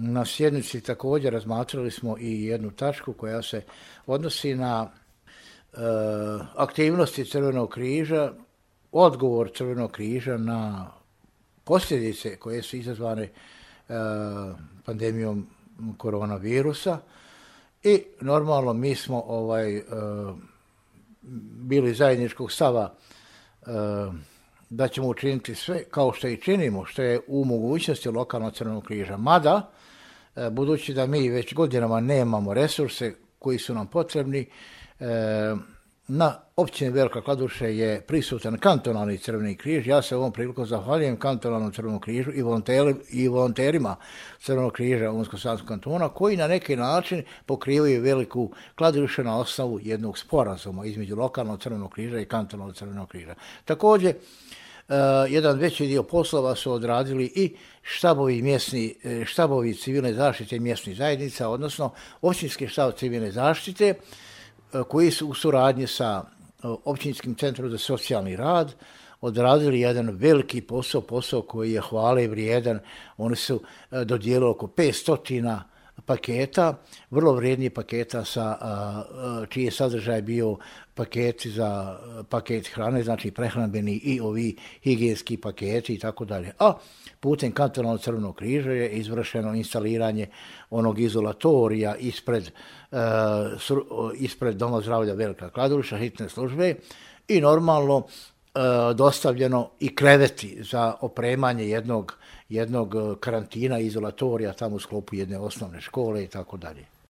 Na sjednici također razmatrali smo i jednu tačku koja se odnosi na aktivnosti Crvenog križa, odgovor Crvenog križa na posljedice koje su izazvane pandemijom koronavirusa i normalno mi smo bili zajedničkog stava da ćemo učiniti sve kao što i činimo, što je u mogućnosti lokalnog Crvenog križa. Mada, budući da mi već godinama nemamo resurse koji su nam potrebni, na općini Velika Kladuša je prisutan kantonalni Crveni križ. Ja se ovom prilikom zahvaljujem kantonalnom Crvenom križu i volonterima Crvenog križa Unsko-sanskog kantona koji na neki način pokrivaju Veliku Kladušu na osnovu jednog sporazuma između lokalnog Crvenog križa i kantonalnog Crvenog križa. Također, jedan veći dio poslova su odradili i štabovi civilne zaštite mjesnih zajednica, odnosno općinski štab civilne zaštite, koji su u suradnji sa Općinskim centrom za socijalni rad odradili jedan veliki posao koji je hvale vrijedan. Oni su dodijelili oko 500 paketa, vrlo vrijednih paketa čiji je sadržaj bio paketi za paket hrane, znači prehrambeni i ovi higijenski paketi i tako dalje. A putem kantonalnog Crvenog križa je izvršeno instaliranje onog izolatorija ispred Doma zdravlja Velika Kladuša, hitne službe i normalno dostavljeno i kreveti za opremanje jednog karantina, izolatorija tamo u sklopu jedne osnovne škole i tako dalje.